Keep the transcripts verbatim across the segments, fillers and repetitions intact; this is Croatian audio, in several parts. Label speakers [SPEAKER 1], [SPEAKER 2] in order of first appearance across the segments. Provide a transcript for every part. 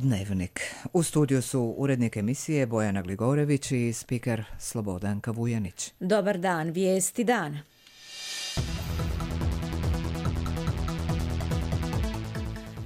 [SPEAKER 1] Dnevnik. U studiju su urednik emisije Bojana Gligorević i spiker Slobodanka Vujanić.
[SPEAKER 2] Dobar dan, vijesti dana.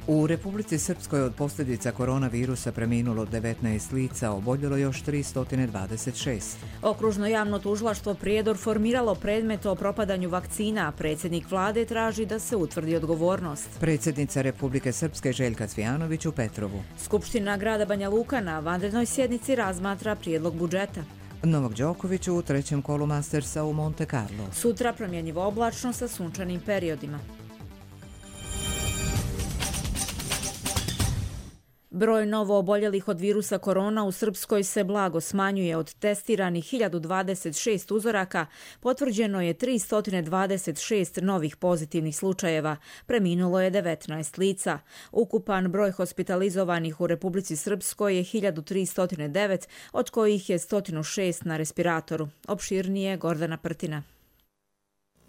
[SPEAKER 1] U Republici Srpskoj od posljedica koronavirusa preminulo devetnaest lica, oboljelo još tristo dvadeset šest.
[SPEAKER 2] Okružno javno tužilaštvo Prijedor formiralo predmet o propadanju vakcina, a predsjednik vlade traži da se utvrdi odgovornost.
[SPEAKER 1] Predsjednica Republike Srpske Željka Cvijanović u Petrovu.
[SPEAKER 2] Skupština grada Banja Luka na vanrednoj sjednici razmatra prijedlog budžeta.
[SPEAKER 1] Novak Đoković u trećem kolu Mastersa u Monte Carlo.
[SPEAKER 2] Sutra promjenjivo oblačno sa sunčanim periodima. Broj novo oboljelih od virusa korona u Srpskoj se blago smanjuje. Od testiranih hiljadu dvadeset šest uzoraka potvrđeno je tristo dvadeset šest novih pozitivnih slučajeva. Preminulo je devetnaest lica. Ukupan broj hospitalizovanih u Republici Srpskoj je hiljadu tristo devet, od kojih je sto šest na respiratoru. Opširnije Gordana Prtina.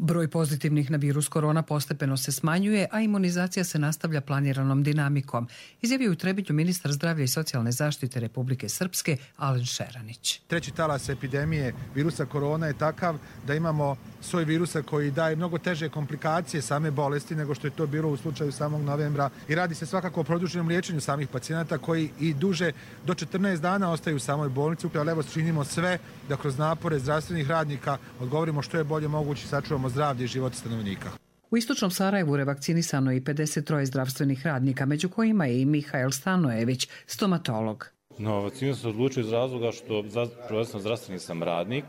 [SPEAKER 3] Broj pozitivnih na virus korona postepeno se smanjuje, a imunizacija se nastavlja planiranom dinamikom, izjavio u Trebinju ministar zdravlja i socijalne zaštite Republike Srpske Alen Šeranić.
[SPEAKER 4] Treći talas epidemije virusa korona je takav da imamo soj virusa koji daje mnogo teže komplikacije same bolesti nego što je to bilo u slučaju samog novembra i radi se svakako o produženom liječenju samih pacijenata koji i duže do četrnaest dana ostaju u samoj bolnici. Ali evo činimo sve da kroz napore zdravstvenih radnika odgovorimo što je bolje moguće i sačuvamo zdravlje i život stanovnika.
[SPEAKER 3] U istočnom Sarajevu revakcinisano je i pedeset troje zdravstvenih radnika, među kojima je i Mihael Stanojević, stomatolog.
[SPEAKER 5] No, vakcinu sam odlučio iz razloga što prvenstveno zdravstveni sam radnik.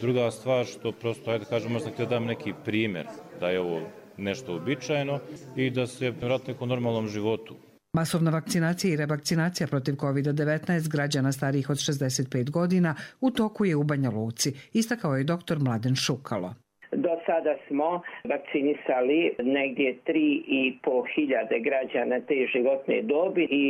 [SPEAKER 5] Druga stvar što prosto, ajde kažem, možda htio dam neki primjer da je ovo nešto uobičajeno i da se vrati nekom normalnom životu.
[SPEAKER 3] Masovna vakcinacija i revakcinacija protiv kovid devetnaest građana starijih od šezdeset pet godina u toku je u Banja Luci, istakao je doktor Mladen Šukalo.
[SPEAKER 6] Do sada smo vakcinisali negdje tri i po hiljade građana te životne dobi i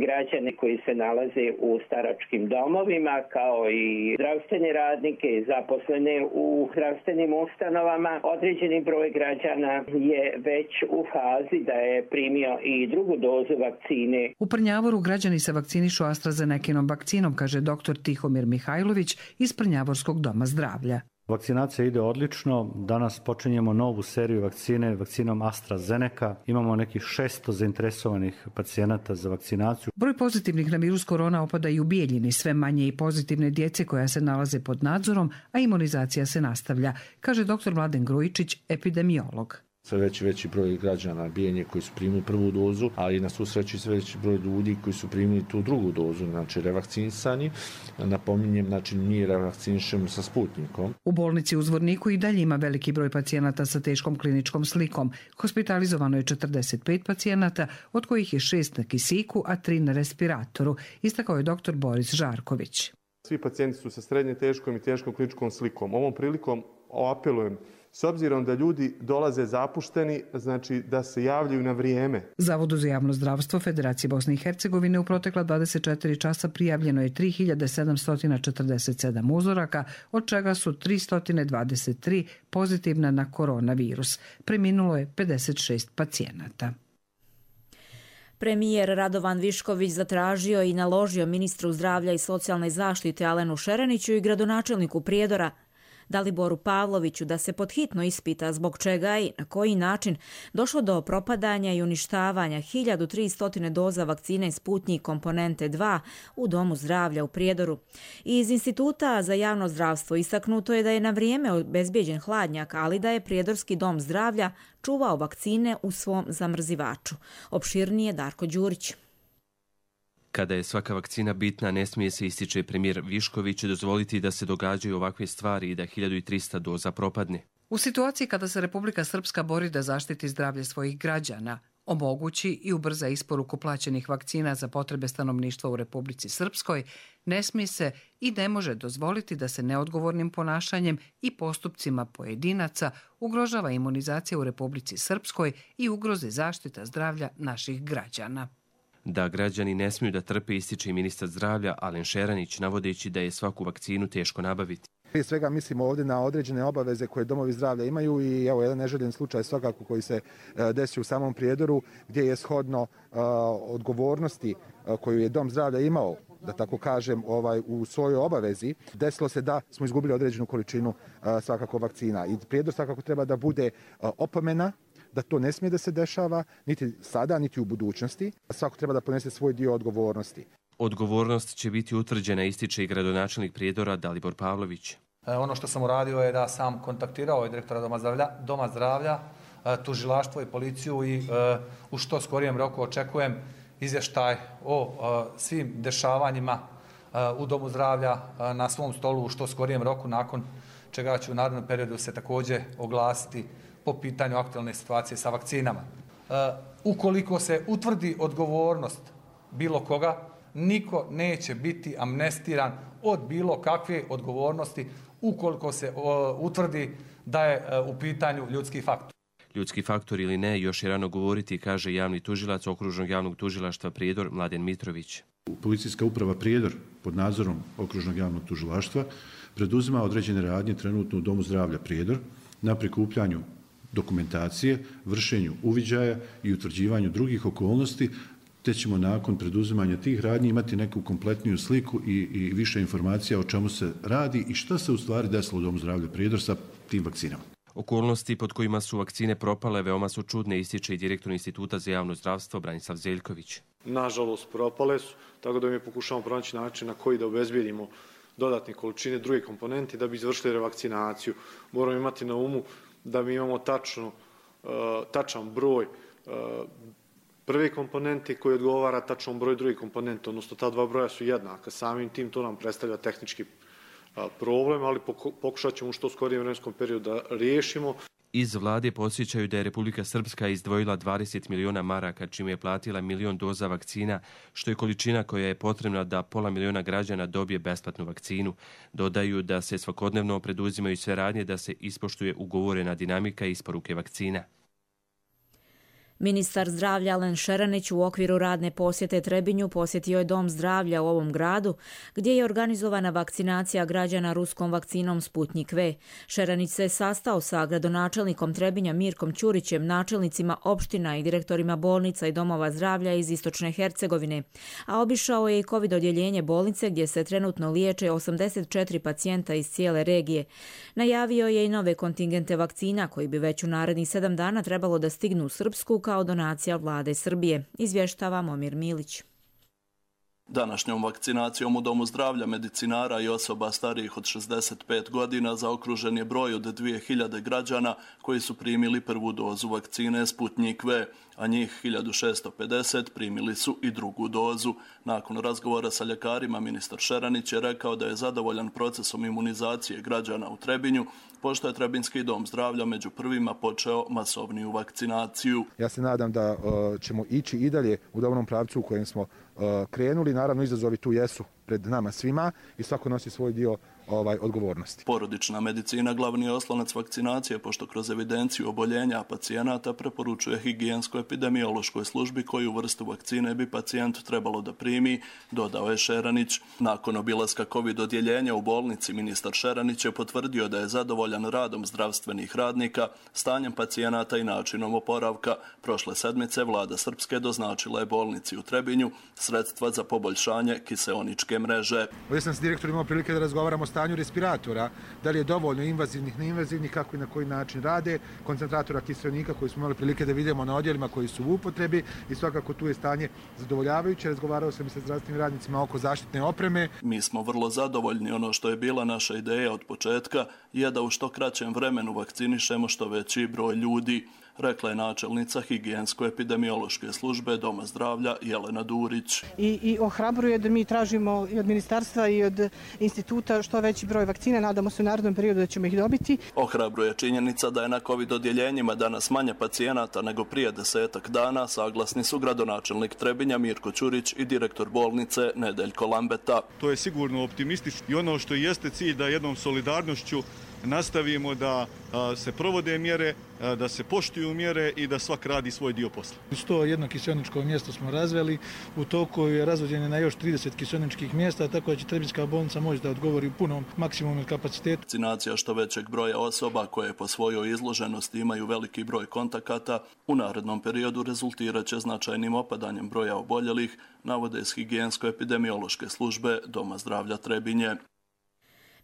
[SPEAKER 6] građane koji se nalaze u staračkim domovima, kao i zdravstvene radnike i zaposlene u zdravstvenim ustanovama. Određeni broj građana je već u fazi da je primio i drugu dozu vakcine.
[SPEAKER 3] U Prnjavoru građani se vakcinišu AstraZenekinom vakcinom, kaže doktor Tihomir Mihajlović iz Prnjavorskog doma zdravlja.
[SPEAKER 7] Vakcinacija ide odlično. Danas počinjemo novu seriju vakcine vakcinom AstraZeneca. Imamo nekih šesto zainteresovanih pacijenata za vakcinaciju.
[SPEAKER 3] Broj pozitivnih na virus korona opada i u Bijeljini, sve manje i pozitivne djece koja se nalaze pod nadzorom, a imunizacija se nastavlja, kaže doktor Mladen Grujičić, epidemiolog.
[SPEAKER 8] Sve veći veći broj građana Bijeljine koji su primili prvu dozu, ali na svu sreću sve veći broj ljudi koji su primili tu drugu dozu, znači revakcinisani. Napominjem, znači mi revakcinišemo sa Sputnikom.
[SPEAKER 3] U bolnici u Zvorniku i dalje ima veliki broj pacijenata sa teškom kliničkom slikom. Hospitalizovano je četrdeset pet pacijenata, od kojih je šest na kisiku, a tri na respiratoru, istakao je doktor Boris Žarković.
[SPEAKER 9] Svi pacijenti su sa srednje teškom i teškom kliničkom slikom. Ovom prilikom apelujem, s obzirom da ljudi dolaze zapušteni, znači da se javljaju na vrijeme.
[SPEAKER 3] Zavodu za javno zdravstvo Federacije Bosne i Hercegovine u protekla dvadeset četiri časa prijavljeno je tri hiljade sedamsto četrdeset sedam uzoraka, od čega su tristo dvadeset tri pozitivna na koronavirus. Preminulo je pedeset šest pacijenata.
[SPEAKER 2] Premijer Radovan Višković zatražio i naložio ministru zdravlja i socijalne zaštite Alenu Šeraniću i gradonačelniku Prijedora Daliboru Pavloviću da se podhitno ispita zbog čega i na koji način došlo do propadanja i uništavanja hiljadu tristo doza vakcine Sputnjik komponente dva u Domu zdravlja u Prijedoru. Iz Instituta za javno zdravstvo istaknuto je da je na vrijeme obezbijeđen hladnjak, ali da je Prijedorski dom zdravlja čuvao vakcine u svom zamrzivaču. Opširnije Darko Đurić.
[SPEAKER 10] Kada je svaka vakcina bitna, ne smije se, ističe premijer Višković, dozvoliti da se događaju ovakve stvari i da hiljadu trista doza propadne.
[SPEAKER 3] U situaciji kada se Republika Srpska bori da zaštiti zdravlje svojih građana, omogući i ubrza isporuku plaćenih vakcina za potrebe stanovništva u Republici Srpskoj, ne smije se i ne može dozvoliti da se neodgovornim ponašanjem i postupcima pojedinaca ugrožava imunizacija u Republici Srpskoj i ugroze zaštita zdravlja naših građana.
[SPEAKER 10] Da građani ne smiju da trpe, ističe i ministar zdravlja Alen Šeranić, navodeći da je svaku vakcinu teško nabaviti.
[SPEAKER 4] Prije svega mislimo ovdje na određene obaveze koje domovi zdravlja imaju i evo jedan neželjen slučaj svakako koji se desio u samom Prijedoru gdje je shodno uh, odgovornosti uh, koju je dom zdravlja imao, da tako kažem, ovaj, u svojoj obavezi, desilo se da smo izgubili određenu količinu uh, svakako vakcina. I Prijedor svakako treba da bude uh, opomena, da to ne smije da se dešava, niti sada, niti u budućnosti. Svako treba da ponese svoj dio odgovornosti.
[SPEAKER 10] Odgovornost će biti utvrđena, ističe i gradonačelnik Prijedora Dalibor Pavlović.
[SPEAKER 11] E, ono što sam uradio je da sam kontaktirao i direktora Doma zdravlja, Doma zdravlja e, tužilaštvo i policiju i e, u što skorijem roku očekujem izvještaj o e, svim dešavanjima e, u Domu zdravlja e, na svom stolu u što skorijem roku, nakon čega ću u narednom periodu se također oglasiti po pitanju aktualne situacije sa vakcinama. E, ukoliko se utvrdi odgovornost bilo koga, niko neće biti amnestiran od bilo kakve odgovornosti ukoliko se o, utvrdi da je e, u pitanju ljudski faktor.
[SPEAKER 10] Ljudski faktor ili ne, još je rano govoriti, kaže javni tužilac Okružnog javnog tužilaštva Prijedor Mladen Mitrović.
[SPEAKER 12] Policijska uprava Prijedor pod nadzorom Okružnog javnog tužilaštva preduzima određene radnje trenutno u Domu zdravlja Prijedor na prikupljanju dokumentacije, vršenju uviđaja i utvrđivanju drugih okolnosti, te ćemo nakon preduzimanja tih radnji imati neku kompletniju sliku i, i više informacija o čemu se radi i šta se u stvari desilo u Domu zdravlja Prijedor sa tim vakcinama.
[SPEAKER 10] Okolnosti pod kojima su vakcine propale veoma su čudne, ističe i direktor Instituta za javno zdravstvo Branislav Zeljković.
[SPEAKER 13] Nažalost, propale su, tako da mi pokušamo pronaći način na koji da obezbijedimo dodatne količine druge komponenti da bi izvršili revakcinaciju. Moramo imati na umu da mi imamo tačno, tačan broj prve komponente koji odgovara tačnom broju druge komponente, odnosno ta dva broja su jednaka. Samim tim to nam predstavlja tehnički problem, ali pokušat ćemo u što skorijem vremenskom periodu da riješimo.
[SPEAKER 10] Iz vlade podsjećaju da je Republika Srpska izdvojila dvadeset miliona maraka, čime je platila milion doza vakcina, što je količina koja je potrebna da pola miliona građana dobije besplatnu vakcinu. Dodaju da se svakodnevno preduzimaju sve radnje da se ispoštuje ugovorena dinamika isporuke vakcina.
[SPEAKER 2] Ministar zdravlja Alen Šeranić u okviru radne posjete Trebinju posjetio je Dom zdravlja u ovom gradu, gdje je organizovana vakcinacija građana ruskom vakcinom Sputnik V. Šeranić se sastao sa gradonačelnikom Trebinja Mirkom Ćurićem, načelnicima opština i direktorima bolnica i domova zdravlja iz Istočne Hercegovine, a obišao je i COVID odjeljenje bolnice gdje se trenutno liječe osamdeset četiri pacijenta iz cijele regije. Najavio je i nove kontingente vakcina koji bi već u narednih sedam dana trebalo da stignu u Srpsku kao donacija vlade Srbije, izvještava Momir Milić.
[SPEAKER 14] Današnjom vakcinacijom u Domu zdravlja medicinara i osoba starijih od šezdeset pet godina zaokružen je broj od dvije hiljade građana koji su primili prvu dozu vakcine Sputnik V, a njih hiljadu šessto pedeset primili su i drugu dozu. Nakon razgovora sa ljekarima, ministar Šeranić je rekao da je zadovoljan procesom imunizacije građana u Trebinju, pošto je Trebinski dom zdravlja među prvima počeo masovniju vakcinaciju.
[SPEAKER 4] Ja se nadam da uh, ćemo ići i dalje u dobrom pravcu u kojem smo uh, krenuli. Naravno, izazovi tu jesu pred nama svima i svako nosi svoj dio ovaj, odgovornosti.
[SPEAKER 14] Porodična medicina glavni je oslonac vakcinacije, pošto kroz evidenciju oboljenja pacijenata preporučuje higijensko-epidemiološkoj službi koju vrstu vakcine bi pacijent trebalo da primi, dodao je Šeranić. Nakon obilaska COVID odjeljenja u bolnici, ministar Šeranić je potvrdio da je zadovoljan radom zdravstvenih radnika, stanjem pacijenata i načinom oporavka. Prošle sedmice vlada Srpske doznačila je bolnici u Trebinju sredstva za poboljšanje kiseoničke mreže.
[SPEAKER 4] Ovdje sam s direktorom imao prilike da razgovaramo o stanju respiratora, da li je dovoljno invazivnih, neinvazivnih, kako i na koji način rade, koncentratora kiseonika koji smo imali prilike da vidimo na odjelima koji su u upotrebi i svakako tu je stanje zadovoljavajuće. Razgovarao sam i sa zdravstvenim radnicima oko zaštitne opreme.
[SPEAKER 14] Mi smo vrlo zadovoljni. Ono što je bila naša ideja od početka je da u što kraćem vremenu vakcinišemo što veći broj ljudi, rekla je načelnica higijensko-epidemiološke službe Doma zdravlja Jelena Durić.
[SPEAKER 15] I, i ohrabruje da mi tražimo i od ministarstva i od instituta što veći broj vakcina. Nadamo se u narednom periodu da ćemo ih dobiti.
[SPEAKER 14] Ohrabruje činjenica da je na COVID odjeljenjima danas manje pacijenata nego prije desetak dana, saglasni su gradonačelnik Trebinja Mirko Ćurić i direktor bolnice Nedeljko Lambeta.
[SPEAKER 16] To je sigurno optimistično i ono što jeste cilj da jednom solidarnošću nastavimo da se provode mjere, da se poštuju mjere i da svak radi svoj dio posla.
[SPEAKER 4] sto jedno kiseoničko mjesto smo razveli, u toku je razvođenje na još trideset kiseoničkih mjesta, tako da će Trebinjska bolnica moći da odgovori u punom maksimumu kapacitetu.
[SPEAKER 14] Vakcinacija što većeg broja osoba koje po svojoj izloženosti imaju veliki broj kontakata u narednom periodu rezultirat će značajnim opadanjem broja oboljelih, navode iz higijensko-epidemiološke službe Doma zdravlja Trebinje.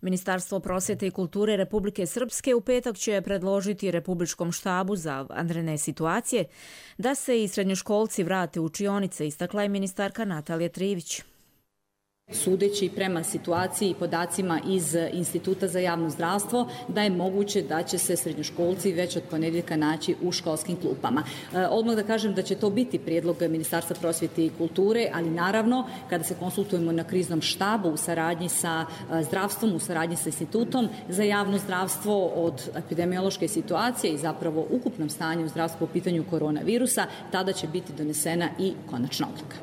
[SPEAKER 2] Ministarstvo prosvjete i kulture Republike Srpske u petak će predložiti Republičkom štabu za vanredne situacije da se i srednjoškolci vrate u učionice, istakla je ministarka Natalija Trivić.
[SPEAKER 17] Sudeći prema situaciji i podacima iz Instituta za javno zdravstvo, da je moguće da će se srednjoškolci već od ponedjeljka naći u školskim klupama. E, odmah da kažem da će to biti prijedlog Ministarstva prosvjete i kulture, ali naravno kada se konsultujemo na kriznom štabu u saradnji sa zdravstvom, u saradnji sa Institutom za javno zdravstvo od epidemiološke situacije i zapravo ukupnom stanju u zdravstvu po pitanju koronavirusa, tada će biti donesena i konačna odluka.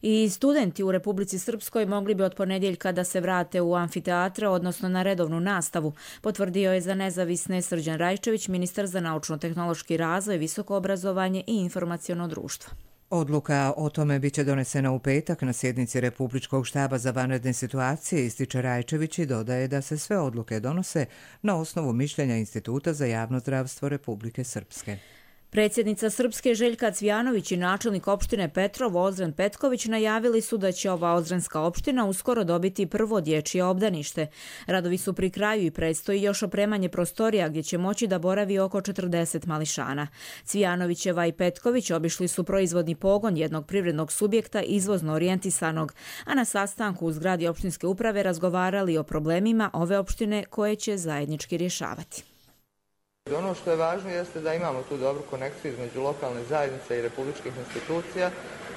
[SPEAKER 2] I studenti u Republici Srpskoj mogli bi od ponedjeljka da se vrate u amfiteatre, odnosno na redovnu nastavu, potvrdio je za nezavisne Srđan Rajčević, ministar za naučno-tehnološki razvoj, visoko obrazovanje i informaciono društvo.
[SPEAKER 1] Odluka o tome biće donesena u petak na sjednici Republičkog štaba za vanredne situacije, ističe Rajčević i dodaje da se sve odluke donose na osnovu mišljenja Instituta za javno zdravstvo Republike Srpske.
[SPEAKER 2] Predsjednica Srpske Željka Cvijanović i načelnik opštine Petrov Ozren Petković najavili su da će ova ozrenska opština uskoro dobiti prvo dječje obdanište. Radovi su pri kraju i predstoji još opremanje prostorija gdje će moći da boravi oko četrdeset mališana. Cvijanovićeva i Petković obišli su proizvodni pogon jednog privrednog subjekta izvozno orijentisanog, a na sastanku u zgradi opštinske uprave razgovarali o problemima ove opštine koje će zajednički rješavati.
[SPEAKER 18] Ono što je važno jeste da imamo tu dobru konekciju između lokalne zajednice i republičkih institucija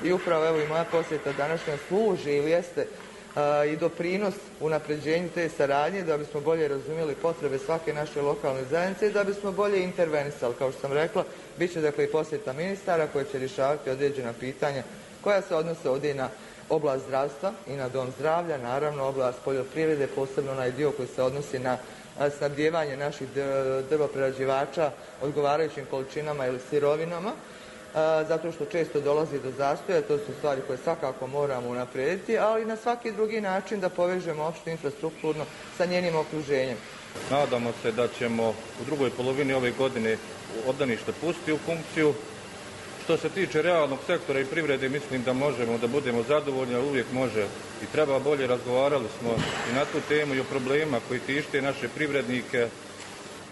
[SPEAKER 18] i upravo evo i moja posjeta današnja služi ili jeste a, i doprinos unapređenju te saradnje da bismo bolje razumjeli potrebe svake naše lokalne zajednice i da bismo bolje intervenisali. Kao što sam rekla, bit će dakle i posjeta ministara koji će rješavati određena pitanja koja se odnose ovdje i na oblast zdravstva i na dom zdravlja, naravno oblast poljoprivrede, posebno onaj dio koji se odnosi na snabdijevanje naših drvoprerađivača odgovarajućim količinama ili sirovinama, zato što često dolazi do zastoja, to su stvari koje svakako moramo unaprijediti, ali na svaki drugi način da povežemo opštinu infrastrukturno sa njenim okruženjem.
[SPEAKER 19] Nadamo se da ćemo u drugoj polovini ove godine obdanište pustiti u funkciju. Što se tiče realnog sektora i privrede, mislim da možemo da budemo zadovoljni, ali uvijek može i treba bolje. Razgovarali smo i na tu temu i o problema koji tište naše privrednike,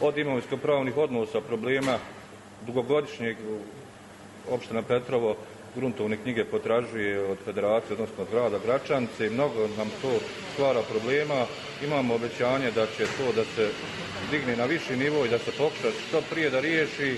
[SPEAKER 19] od imovinsko-pravnih odnosa, problema dugogodišnjeg. Opština Petrovo gruntovne knjige potražuje od federacije, odnosno od grada Gračance i mnogo nam to stvara problema. Imamo obećanje da će to da se digne na viši nivo i da se pokuša što prije da riješi.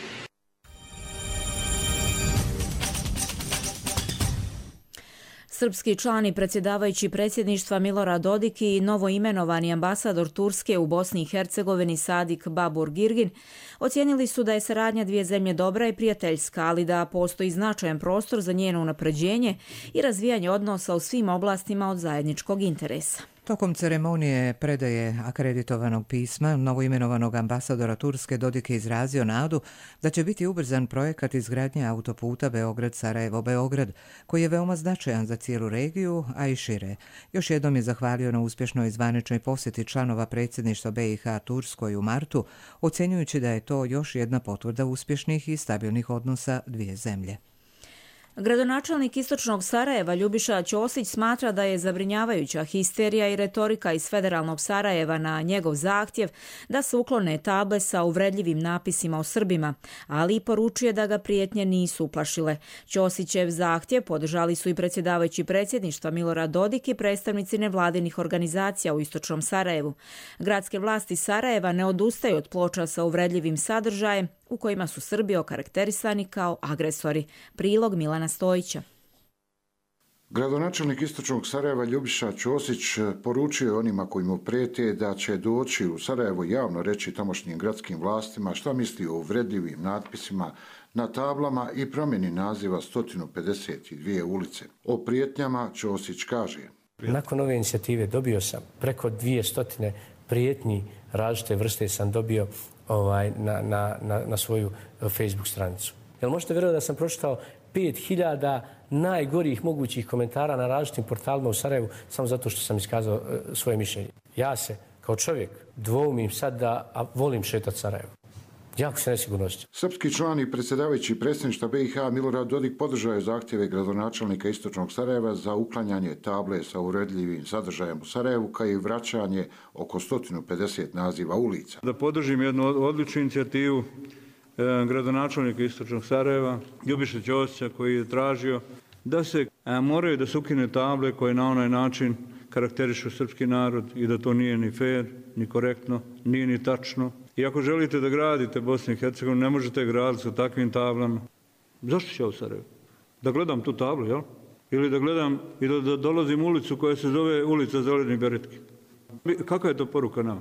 [SPEAKER 2] Srpski član i predsjedavajući predsjedništva Milorad Dodik i novoimenovani ambasador Turske u Bosni i Hercegovini Sadik Babur Girgin ocijenili su da je saradnja dvije zemlje dobra i prijateljska, ali da postoji značajan prostor za njeno unapređenje i razvijanje odnosa u svim oblastima od zajedničkog interesa.
[SPEAKER 1] Tokom ceremonije predaje akreditovanog pisma novoimenovanog ambasadora Turske Dodik je izrazio nadu da će biti ubrzan projekat izgradnje autoputa Beograd-Sarajevo-Beograd, koji je veoma značajan za cijelu regiju, a i šire. Još jednom je zahvalio na uspješnoj zvaničnoj posjeti članova predsjedništva B i H Turskoj u martu, ocjenjujući da je to još jedna potvrda uspješnih i stabilnih odnosa dvije zemlje.
[SPEAKER 2] Gradonačelnik istočnog Sarajeva Ljubiša Ćosić smatra da je zabrinjavajuća histerija i retorika iz federalnog Sarajeva na njegov zahtjev da se uklone table sa uvredljivim napisima o Srbima, ali i poručuje da ga prijetnje nisu uplašile. Ćosićev zahtjev podržali su i predsjedavajući predsjedništva Milorad Dodik i predstavnici nevladinih organizacija u istočnom Sarajevu. Gradske vlasti Sarajeva ne odustaju od ploča sa uvredljivim sadržajem u kojima su Srbi okarakterisani kao agresori. Prilog Milana Stojića.
[SPEAKER 20] Gradonačelnik istočnog Sarajeva Ljubiša Ćosić poručio je onima koji mu prijete da će doći u Sarajevo javno reći tamošnjim gradskim vlastima šta misli o uvredljivim natpisima na tablama i promjeni naziva sto pedeset dvije ulice. O prijetnjama Ćosić kaže:
[SPEAKER 21] Nakon ove inicijative dobio sam preko dvije stotine prijetnji različite vrste sam dobio ovaj, na, na, na, na svoju Facebook stranicu. Jel možete vjerovati da sam pročitao pet hiljada najgorih mogućih komentara na različitim portalima u Sarajevu samo zato što sam iskazao e, svoje mišljenje. Ja se, kao čovjek, dvoumim sad da a volim šetati Sarajevo. Jako se nesigurno osjećam.
[SPEAKER 20] Srpski član i predsjedavajući predsjedništva B i H Milorad Dodik podržao je zahtjeve gradonačelnika Istočnog Sarajeva za uklanjanje table sa uvredljivim sadržajem u Sarajevu, kao i vraćanje oko sto pedeset naziva ulica.
[SPEAKER 22] Da podržim jednu odličnu inicijativu eh, gradonačelnika Istočnog Sarajeva, Ljubiše Ćosića, koji je tražio da se eh, moraju da se ukine table koje na onaj način karakterišu srpski narod i da to nije ni fair, ni korektno, nije ni tačno. I ako želite da gradite Bosnu i Hercegovinu, ne možete graditi sa takvim tablama. Zašto ću ja u Sarajevu? Da gledam tu tablu, jel? Ili da gledam i da, da dolazim u ulicu koja se zove ulica Zelenih beretki. Kakva je to poruka nama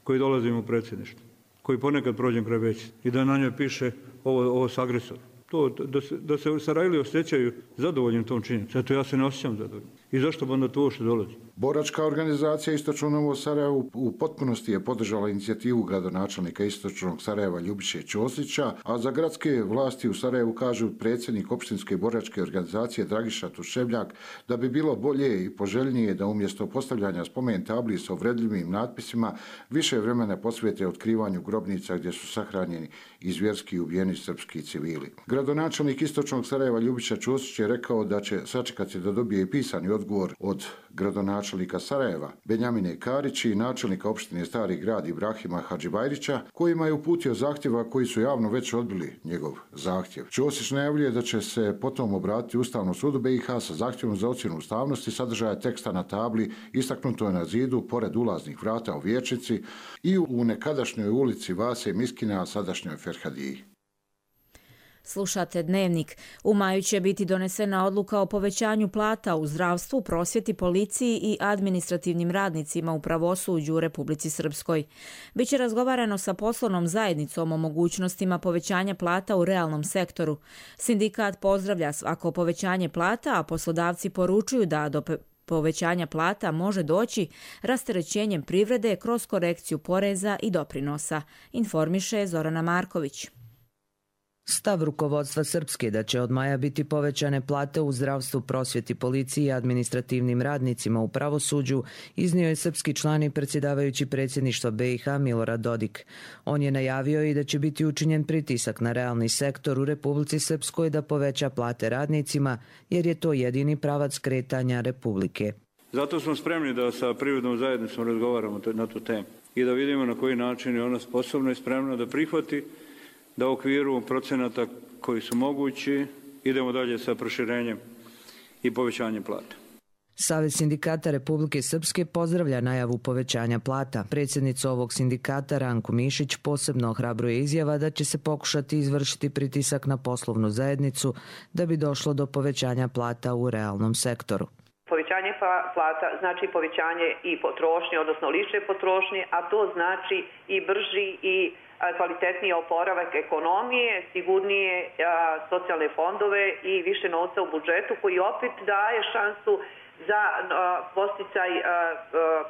[SPEAKER 22] koji dolazimo u predsjedništvo, koji ponekad prođem kraj veći i da na njoj piše ovo, ovo s agresorom? To, da se, da se Sarajli osjećaju zadovoljnim tom činjenicom. Eto, ja se ne osjećam zadovoljnim. I zašto bi onda to uopšte dolazi?
[SPEAKER 20] Boračka organizacija Istočno Novo Sarajevo u potpunosti je podržala inicijativu gradonačelnika Istočnog Sarajeva Ljubiše Ćosića, a za gradske vlasti u Sarajevu kažu predsjednik opštinske boračke organizacije Dragiša Tuševljak da bi bilo bolje i poželjnije da umjesto postavljanja spomen tabli sa uvredljivim natpisima više vremena posvete otkrivanju grobnica gdje su sahranjeni i zvjerski ubijeni srpski civili. Gradonačelnik Istočnog Sarajeva Ljubiša Ćosić je rekao da će sačekati da dobije i pisani odgovor od gradonačelnika Sarajeva Benjamine Karić i načelnika opštine Stari grad Ibrahima Hadžibajrića, kojima je uputio zahtjeva koji su javno već odbili njegov zahtjev. Ćosić najavljuje da će se potom obratiti Ustavnom sudu B i H sa zahtjevom za ocjenu ustavnosti sadržaja teksta na tabli istaknuto je na zidu pored ulaznih vrata u Vijećnici i u nekadašnjoj ulici Vase Miskina, a sadašnjoj Ferhadiji.
[SPEAKER 2] Slušate Dnevnik. U maju će biti donesena odluka o povećanju plata u zdravstvu, prosvjeti, policiji i administrativnim radnicima u pravosuđu u Republici Srpskoj. Biće razgovarano sa poslovnom zajednicom o mogućnostima povećanja plata u realnom sektoru. Sindikat pozdravlja svako povećanje plata, a poslodavci poručuju da do povećanja plata može doći rasterećenjem privrede kroz korekciju poreza i doprinosa, informiše Zorana Marković.
[SPEAKER 23] Stav rukovodstva Srpske da će od maja biti povećane plate u zdravstvu, prosvjeti, policiji i administrativnim radnicima u pravosuđu iznio je srpski član i predsjedavajući predsjedništva B i H Milorad Dodik. On je najavio i da će biti učinjen pritisak na realni sektor u Republici Srpskoj da poveća plate radnicima, jer je to jedini pravac kretanja Republike.
[SPEAKER 22] Zato smo spremni da sa privrednom zajednicom razgovaramo na tu temu i da vidimo na koji način je ona sposobna i spremna da prihvati da u okviru procenata koji su mogući idemo dalje sa proširenjem i povećanjem plata.
[SPEAKER 23] Savez sindikata Republike Srpske pozdravlja najavu povećanja plata. Predsjednica ovog sindikata Ranko Mišić posebno ohrabruje izjava da će se pokušati izvršiti pritisak na poslovnu zajednicu da bi došlo do povećanja plata u realnom sektoru.
[SPEAKER 24] Povećanje plata znači povećanje i potrošnje, odnosno lične potrošnje, a to znači i brži i kvalitetniji oporavak ekonomije, sigurnije a, socijalne fondove i više novca u budžetu koji opet daje šansu za posticaj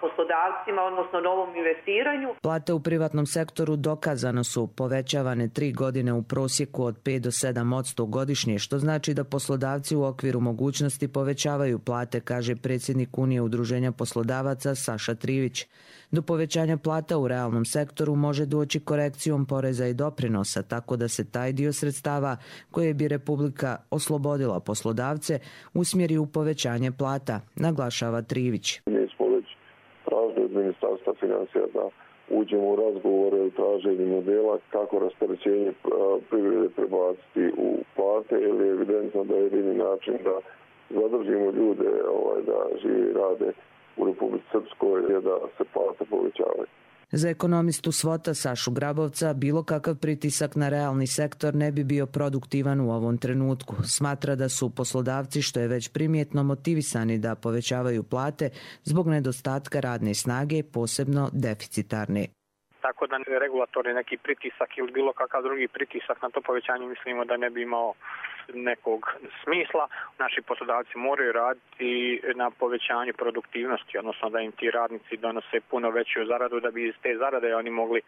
[SPEAKER 24] poslodavcima, odnosno novom investiranju.
[SPEAKER 23] Plate u privatnom sektoru dokazano su povećavane tri godine u prosjeku od pet do sedam posto godišnje, što znači da poslodavci u okviru mogućnosti povećavaju plate, kaže predsjednik Unije udruženja poslodavaca Saša Trivić. Do povećanja plata u realnom sektoru može doći korekcijom poreza i doprinosa, tako da se taj dio sredstava koje bi Republika oslobodila poslodavce usmjeri u povećanje plata, naglašava Trivić.
[SPEAKER 25] Mi smo već tražili od Ministarstva financija da uđemo u razgovore o traženju modela kako rasterećenje privrede prebaciti u plate, jer je evidentno da je jedini način da zadržimo ljude ovaj, da žive i rade u Republici Srpskoj je da se plate povećavaju.
[SPEAKER 23] Za ekonomistu Svota Sašu Grabovca bilo kakav pritisak na realni sektor ne bi bio produktivan u ovom trenutku. Smatra da su poslodavci, što je već primjetno, motivisani da povećavaju plate zbog nedostatka radne snage, posebno deficitarne.
[SPEAKER 26] Tako da regulatorni neki pritisak ili bilo kakav drugi pritisak na to povećanje mislimo da ne bi imao
[SPEAKER 5] nekog smisla. Naši poslodavci moraju raditi na povećanju produktivnosti, odnosno da im ti radnici donose puno veću zaradu, da bi iz te zarade oni mogli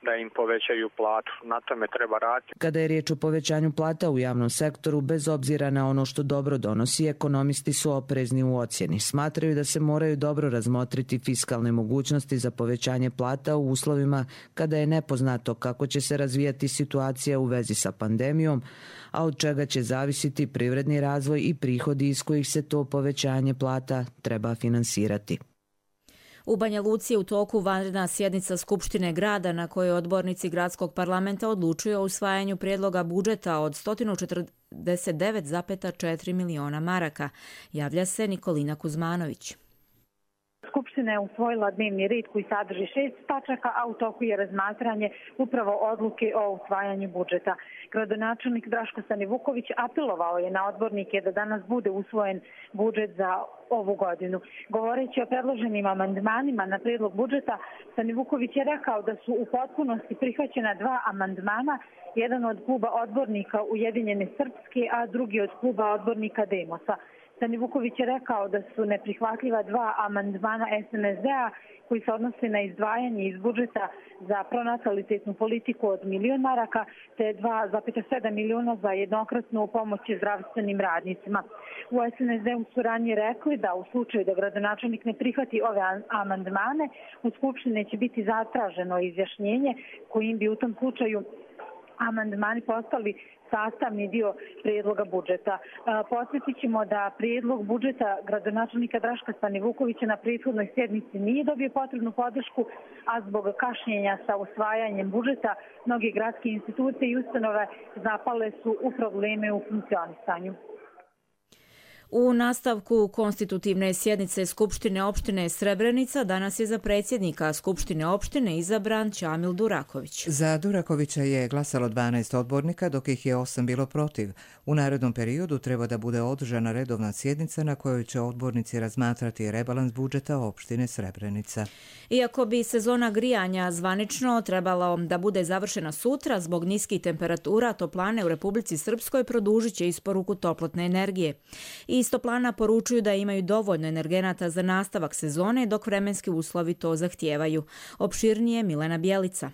[SPEAKER 5] da im povećaju platu. Na tome treba raditi.
[SPEAKER 23] Kada je riječ o povećanju plata u javnom sektoru, bez obzira na ono što dobro donosi, ekonomisti su oprezni u ocjeni. Smatraju da se moraju dobro razmotriti fiskalne mogućnosti za povećanje plata u uslovima kada je nepoznato kako će se razvijati situacija u vezi sa pandemijom, a od čega će zavisiti privredni razvoj i prihodi iz kojih se to povećanje plata treba finansirati.
[SPEAKER 2] U Banja Luci je u toku vanredna sjednica Skupštine grada na kojoj odbornici gradskog parlamenta odlučuju o usvajanju prijedloga budžeta od sto četrdeset devet zarez četiri miliona maraka. Javlja se Nikolina Kuzmanović.
[SPEAKER 6] Skupština je usvojila dnevni red koji sadrži šest tačaka, a u toku je razmatranje upravo odluke o usvajanju budžeta. Gradonačelnik Draško Stanivuković apelovao je na odbornike da danas bude usvojen budžet za ovu godinu. Govoreći o predloženim amandmanima na prijedlog budžeta, Stanivuković je rekao da su u potpunosti prihvaćena dva amandmana, jedan od kluba odbornika Ujedinjene Srpske, a drugi od kluba odbornika Demosa. Stanivuković je rekao da su neprihvatljiva dva amandmana es en es de-a koji se odnose na izdvajanje iz budžeta za pronatalitetnu politiku od milion maraka te dva zarez sedam miliona za jednokratnu pomoć zdravstvenim radnicima. U es en es de-u su ranije rekli da u slučaju da gradonačelnik ne prihvati ove amandmane, u Skupštini će biti zatraženo izjašnjenje kojim bi u tom slučaju amandmani postali sastavni dio prijedloga budžeta. Podsjetit ćemo da prijedlog budžeta gradonačelnika Draška Stanivukovića na prethodnoj sjednici nije dobio potrebnu podršku, a zbog kašnjenja sa usvajanjem budžeta mnoge gradske institucije i ustanove zapale su u probleme u funkcionisanju.
[SPEAKER 2] U nastavku konstitutivne sjednice Skupštine opštine Srebrenica danas je za predsjednika Skupštine opštine izabran Čamil Duraković.
[SPEAKER 1] Za Durakovića je glasalo dvanaest odbornika, dok ih je osam bilo protiv. U narednom periodu treba da bude održana redovna sjednica na kojoj će odbornici razmatrati rebalans budžeta opštine Srebrenica.
[SPEAKER 2] Iako bi sezona grijanja zvanično trebalo da bude završena sutra, zbog niskih temperatura toplane u Republici Srpskoj produžit će isporuku toplotne energije. Iz toplana poručuju da imaju dovoljno energenata za nastavak sezone, dok vremenski uslovi to zahtijevaju. Opširnije Milena Bjelica.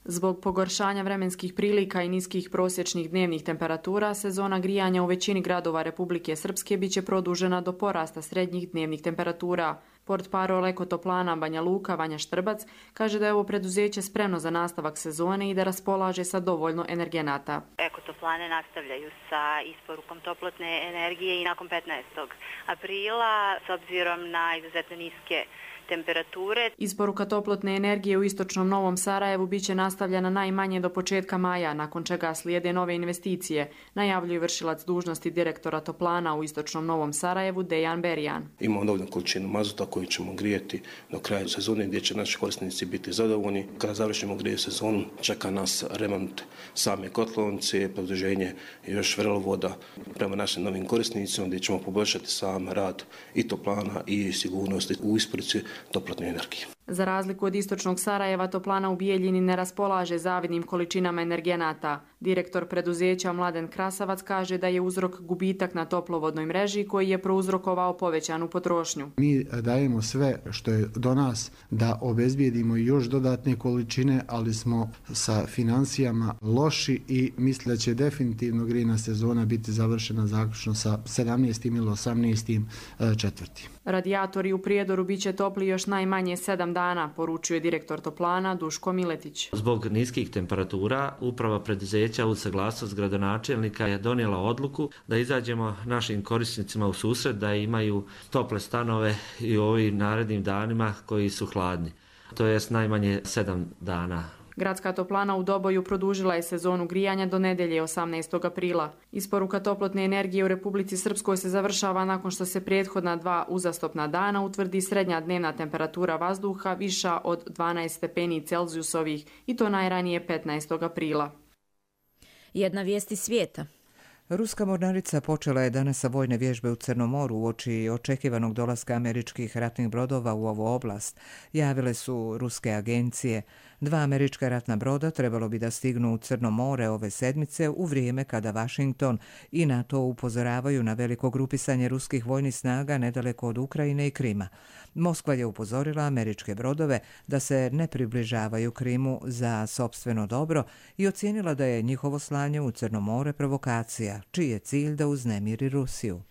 [SPEAKER 7] Zbog pogoršanja vremenskih prilika i niskih prosječnih dnevnih temperatura, sezona grijanja u većini gradova Republike Srpske biće produžena do porasta srednjih dnevnih temperatura. Portparol Ekotoplana Banja Luka Vanja Štrbac kaže da je ovo preduzeće spremno za nastavak sezone i da raspolaže sa dovoljno energenata.
[SPEAKER 8] Ekotoplane nastavljaju sa isporukom toplotne energije i nakon petnaestog aprila s obzirom na izuzetno niske temperature.
[SPEAKER 7] Isporuka toplotne energije u istočnom Novom Sarajevu biće nastavljena najmanje do početka maja, nakon čega slijede nove investicije, najavljuje vršilac dužnosti direktora toplana u istočnom Novom Sarajevu Dejan Berijan.
[SPEAKER 9] Imamo dovoljnu količinu mazuta koju ćemo grijeti do kraja sezone gdje će naši korisnici biti zadovoljni. Kada završimo grije sezonu, čeka nas remont same kotlovnice, produženje još vrelovoda prema našim novim korisnicima gdje ćemo poboljšati sam rad i toplana i sigurnosti u isporuci toplotne energije.
[SPEAKER 7] Za razliku od istočnog Sarajeva, toplana u Bijeljini ne raspolaže zavidnim količinama energenata. Direktor preduzeća Mladen Krasavac kaže da je uzrok gubitak na toplovodnoj mreži koji je prouzrokovao povećanu potrošnju.
[SPEAKER 26] Mi dajemo sve što je do nas da obezbijedimo još dodatne količine, ali smo sa financijama loši i mislim da će definitivno grijna sezona biti završena zaključno sa sedamnaestim ili osamnaestim četvrtim.
[SPEAKER 7] Radijatori u Prijedoru biće topli još najmanje sedam dana, poručuje direktor toplana Duško Miletić.
[SPEAKER 27] Zbog niskih temperatura, uprava preduzeća uz saglasnost gradonačelnika je donijela odluku da izađemo našim korisnicima u susret da imaju tople stanove i u ovim narednim danima koji su hladni. To jest najmanje sedam dana.
[SPEAKER 7] Gradska toplana u Doboju produžila je sezonu grijanja do nedelje osamnaestog aprila. Isporuka toplotne energije u Republici Srpskoj se završava nakon što se prethodna dva uzastopna dana utvrdi srednja dnevna temperatura vazduha viša od dvanaest stepeni Celzijusovih i to najranije petnaestog aprila.
[SPEAKER 2] Jedna vijest iz svijeta.
[SPEAKER 1] Ruska mornarica počela je danas sa vojne vježbe u Crnom moru uoči očekivanog dolaska američkih ratnih brodova u ovu oblast, javile su ruske agencije. Dva američka ratna broda trebalo bi da stignu u Crno more ove sedmice u vrijeme kada Washington i NATO upozoravaju na veliko grupisanje ruskih vojnih snaga nedaleko od Ukrajine i Krima. Moskva je upozorila američke brodove da se ne približavaju Krimu za sopstveno dobro i ocijenila da je njihovo slanje u Crno more provokacija, čiji je cilj da uznemiri Rusiju.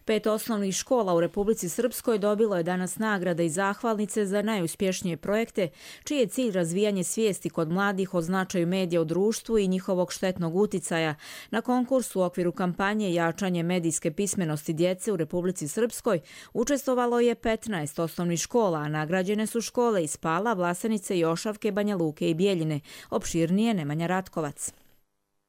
[SPEAKER 2] Pet osnovnih škola u Republici Srpskoj dobilo je danas nagrade i zahvalnice za najuspješnije projekte, čiji je cilj razvijanje svijesti kod mladih o značaju medija u društvu i njihovog štetnog uticaja. Na konkursu u okviru kampanje Jačanje medijske pismenosti djece u Republici Srpskoj učestvovalo je petnaest osnovnih škola, a nagrađene su škole iz Pala, Vlasenice, Jošavke, Banja Luke i Bijeljine. Opširnije Nemanja Ratkovac.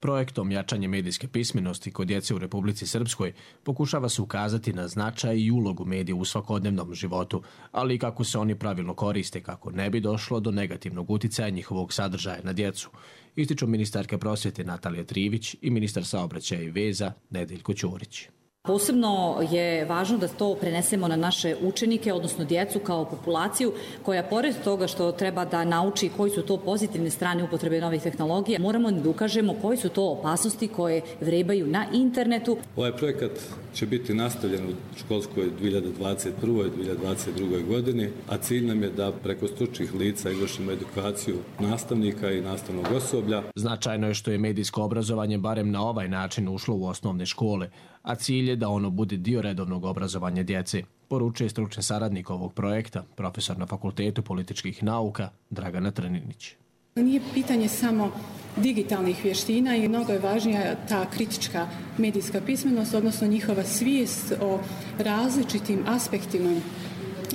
[SPEAKER 3] Projektom Jačanje medijske pismenosti kod djece u Republici Srpskoj pokušava se ukazati na značaj i ulogu medija u svakodnevnom životu, ali i kako se oni pravilno koriste kako ne bi došlo do negativnog uticaja njihovog sadržaja na djecu, ističu ministarka prosvjete Natalija Trivić i ministar saobraćaja i veza Nedeljko Ćorić.
[SPEAKER 17] Posebno je važno da to prenesemo na naše učenike, odnosno djecu kao populaciju koja pored toga što treba da nauči koji su to pozitivne strane upotrebe novih tehnologija, moramo da ukažemo koji su to opasnosti koje vrebaju na internetu.
[SPEAKER 10] Ovaj projekat će biti nastavljen u školskoj dvije hiljade dvadeset prve. i dvije hiljade dvadeset druge. godini, a cilj nam je da preko stručnih lica izvršimo edukaciju nastavnika i nastavnog osoblja.
[SPEAKER 3] Značajno je što je medijsko obrazovanje barem na ovaj način ušlo u osnovne škole, a cilj je da ono bude dio redovnog obrazovanja djece, poručuje stručni saradnik ovog projekta, profesor na Fakultetu političkih nauka Dragana Trninić.
[SPEAKER 11] Nije pitanje samo digitalnih vještina i mnogo je važnija ta kritička medijska pismenost, odnosno njihova svijest o različitim aspektima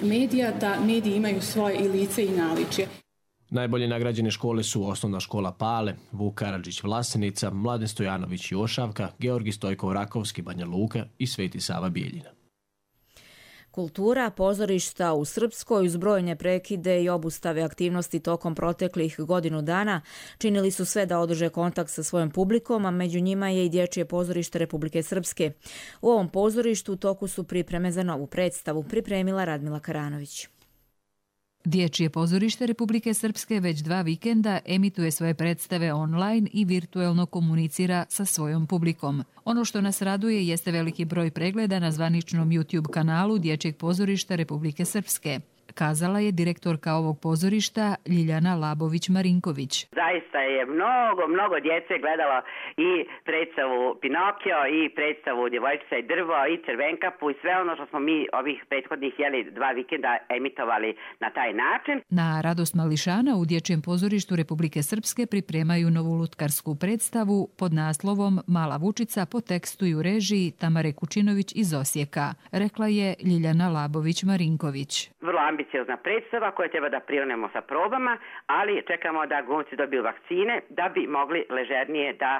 [SPEAKER 11] medija, da mediji imaju svoje i lice i naličje.
[SPEAKER 3] Najbolje nagrađene škole su Osnovna škola Pale, Vuk Karadžić Vlasenica, Mladen Stojanović Jošavka, Georgi Stojkov Rakovski Banja Luka i Sveti Sava Bijeljina.
[SPEAKER 2] Kultura, pozorišta u Srpskoj uz brojne prekide i obustave aktivnosti tokom proteklih godinu dana činili su sve da održe kontakt sa svojom publikom, a među njima je i Dječje pozorište Republike Srpske. U ovom pozorištu u toku su pripreme za novu predstavu, pripremila Radmila Karanović.
[SPEAKER 12] Dječje pozorište Republike Srpske već dva vikenda emituje svoje predstave online i virtuelno komunicira sa svojom publikom. Ono što nas raduje jeste veliki broj pregleda na zvaničnom YouTube kanalu Dječjeg pozorišta Republike Srpske, kazala je direktorka ovog pozorišta Ljiljana Labović-Marinković.
[SPEAKER 13] Zaista je mnogo, mnogo djece gledalo i predstavu Pinokio i predstavu Djevojčica i drvo i Crvenkapu i sve ono što smo mi ovih prethodnih jeli dva vikenda emitovali na taj način.
[SPEAKER 12] Na radost mališana u Dječjem pozorištu Republike Srpske pripremaju novu lutkarsku predstavu pod naslovom Mala Vučica po tekstu i u režiji Tamare Kučinović iz Osijeka, rekla je Ljiljana Labović-Marinković.
[SPEAKER 13] Vrlo ambiciozna predstava koja treba da prionemo sa probama, ali čekamo da glumci dobiju vakcine da bi mogli ležernije da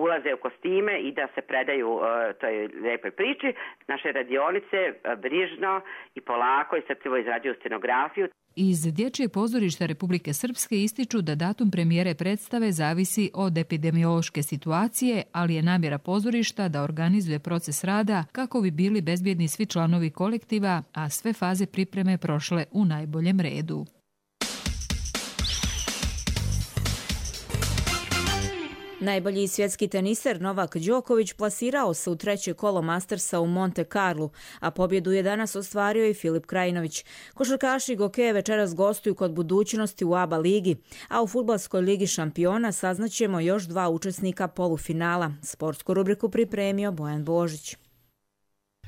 [SPEAKER 13] ulaze u kostime i da se predaju uh, toj lijepoj priči. Naše radionice uh, brižno i polako i srpljivo izrađuju scenografiju.
[SPEAKER 12] Iz Dječjeg pozorišta Republike Srpske ističu da datum premijere predstave zavisi od epidemiološke situacije, ali je namjera pozorišta da organizuje proces rada kako bi bili bezbjedni svi članovi kolektiva, a sve faze pripreme prošle u najboljem redu.
[SPEAKER 2] Najbolji svjetski teniser Novak Đoković plasirao se u treće kolo Mastersa u Monte Carlu, a pobjedu je danas ostvario i Filip Krajinović. Košarkaši Gokeje večeras gostuju kod Budućnosti u A B A ligi, a u Fudbalskoj ligi šampiona saznaćemo još dva učesnika polufinala. Sportsku rubriku pripremio Bojan Božić.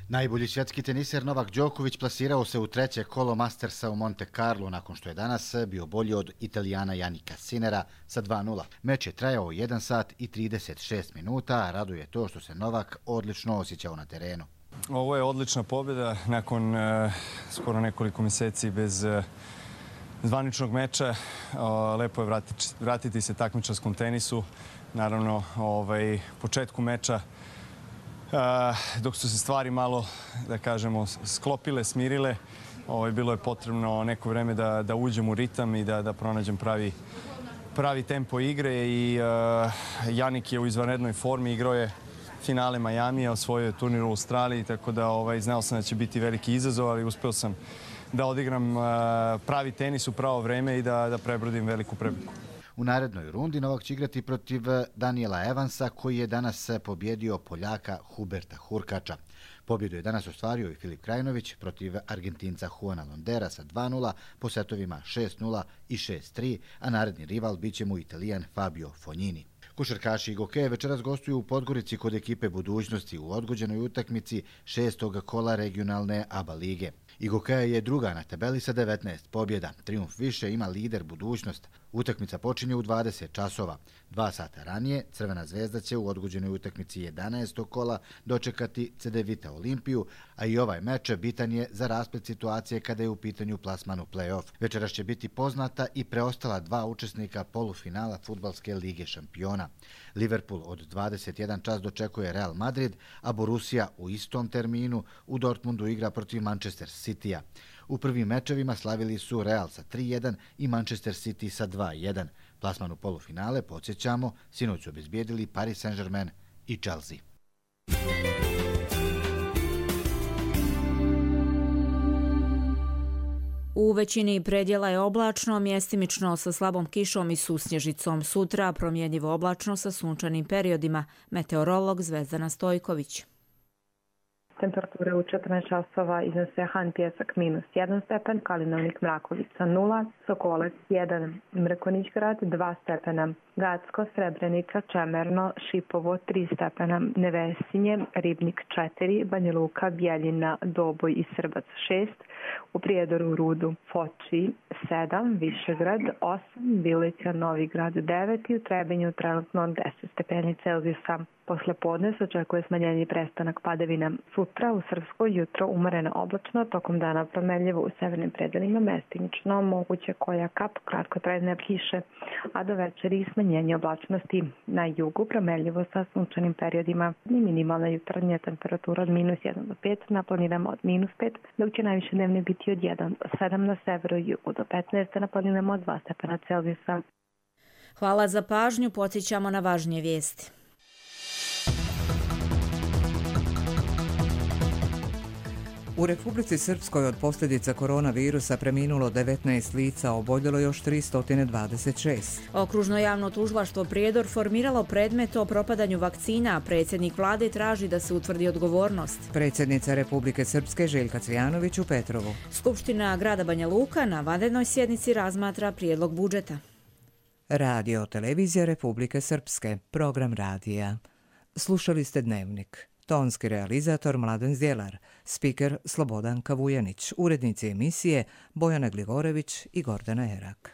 [SPEAKER 15] Najbolji svjetski teniser Novak Đoković plasirao se u treće kolo Mastersa u Monte Carlo nakon što je danas bio bolji od Italijana Janika Sinera sa dva nula. Meč je trajao jedan sat i trideset šest minuta, a raduje to što se Novak odlično osjećao na terenu.
[SPEAKER 16] Ovo je odlična pobjeda nakon uh, skoro nekoliko mjeseci bez uh, zvaničnog meča. Uh, lepo je vratiti, vratiti se takmičarskom tenisu. Naravno, ovaj, početku meča Uh, dok su se stvari malo, da kažemo, sklopile, smirile, ovaj, bilo je potrebno neko vreme da, da uđem u ritam i da, da pronađem pravi, pravi tempo igre i uh, Janik je u izvanrednoj formi, igrao je finale Majamija, osvojio je turnir u Australiji, tako da ovaj, znao sam da će biti veliki izazov, ali uspeo sam da odigram pravi tenis u pravo vreme i da, da prebrodim veliku prepreku.
[SPEAKER 15] U narednoj rundi Novak će igrati protiv Daniela Evansa, koji je danas pobjedio Poljaka Huberta Hurkača. Pobjedu je danas ostvario i Filip Krajinović protiv Argentinca Juana Londera sa dva nula po setovima šest nula i šest tri, a naredni rival bit će mu Italijan Fabio Fognini. Košarkaši Igokeje večeras gostuju u Podgorici kod ekipe Budućnosti u odgođenoj utakmici šestog kola regionalne A B A lige. Igokeja je druga na tabeli sa devetnaest pobjeda. Triumf više ima lider Budućnost. Utakmica počinje u dvadeset časova. Dva sata ranije Crvena zvezda će u odgođenoj utakmici jedanaestog kola dočekati C D Vita Olimpiju, a i ovaj meč bitan je za rasplet situacije kada je u pitanju plasman u play-off. Večeras će biti poznata i preostala dva učesnika polufinala Fudbalske lige šampiona. Liverpool od dvadeset jedan čas dočekuje Real Madrid, a Borussia u istom terminu u Dortmundu igra protiv Manchester Citya. U prvim mečevima slavili su Real sa tri jedan i Manchester City sa dva jedan. Plasman u polufinale, podsjećamo, sinoć su obezbijedili Paris Saint-Germain i Chelsea.
[SPEAKER 2] U većini predjela je oblačno, mjestimično sa slabom kišom i susnježicom. Sutra promjenjivo oblačno sa sunčanim periodima. Meteorolog Zvezdana Stojković.
[SPEAKER 6] Temperature u četrnaest časova iznose Han Pjesak minus jedan stepen, Kalinovnik Mrakovica nula, Sokolac jedan, Mrkonić grad dva stepena, Gacko, Srebrenica, Čemerno, Šipovo tri stepena, Nevesinje, Ribnik četiri, Banja Luka, Bjeljina, Doboj i Srbac šest, u Prijedoru, Rudu, Foči sedam, Višegrad osam, Bilića, Novi Grad devet i u Trebinju trenutno deset stepeni Celzijusa. Posle podne se očekuje smanjenje i prestanak padavina. Sutra u Srpskoj jutro umereno oblačno, tokom dana promenljivo u severnim predelima, mestimično moguće koja kap kratkotrajne kiše, a do večeri smanjenje oblačnosti. Na jugu promenljivo sa sunčanim periodima i minimalna jutarnja temperatura od minus jedan do pet, na planinama od minus pet, dok će najviše dnevne biti od jedan do sedam na severu i jugu, do petnaest na planinama od dva stepena Celzijusa.
[SPEAKER 2] Hvala za pažnju, podsjećamo na važnije vijesti.
[SPEAKER 1] U Republici Srpskoj od posljedica koronavirusa preminulo devetnaest lica, oboljelo još tristo dvadeset šest.
[SPEAKER 2] Okružno javno tužilaštvo Prijedor formiralo predmet o propadanju vakcina, a predsjednik vlade traži da se utvrdi odgovornost.
[SPEAKER 1] Predsjednica Republike Srpske Željka Cvijanović u Petrovu.
[SPEAKER 2] Skupština grada Banja Luka na vanrednoj sjednici razmatra prijedlog budžeta.
[SPEAKER 1] Radio Televizija Republike Srpske, program radija. Slušali ste Dnevnik. Tonski realizator Mladen Zdjelar, spiker Slobodan Kavujanić, urednici emisije Bojana Gligorević i Gordana Erak.